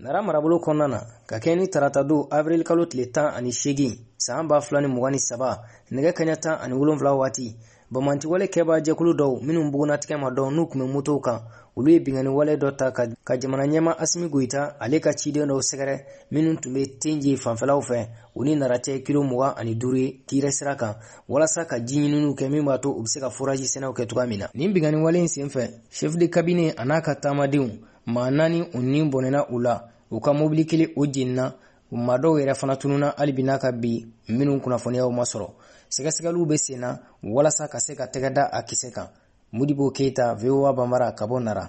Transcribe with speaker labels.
Speaker 1: Nara marabolo kɔnɔna na, ka kɛɲɛ ni taratadon avril kalo tile 18 san 2023 nɛgɛ kaɲa 17 waati, banbaanciwale kɛbaa jɛkulu dɔw minnu bugunnatigɛ ma dɔn n'u tun bɛ motow kan, olu ye binkanni wale dɔ ta ka jamana ɲɛmaa Asimi Goyita ale ka ciden dɔw sɛgɛrɛ minnu tun bɛ Tenje fanfɛlaw fɛ, u ni Nara cɛ kilo 25 ye Kire sira kan, walasa ka ji ɲininiw kɛ min b'a to u bɛ se ka forazi sɛnɛw kɛ cogoya min na. Nin binkanni wale in senfɛ, chef de cabinet an'a ka taamadenw maa naani u ni bɔnɛna u la, u ka mobili kelen o jenina, maa dɔw yɛrɛ fana tununna hali bi n'a ka bi minnu kunnafoniyaw ma sɔrɔ. Sɛgɛsɛgɛliw bɛ sen na walasa ka se ka tɛgɛ da a kisɛ kan. Modibo Keyita, VOA Banbara ka bɔ Nara.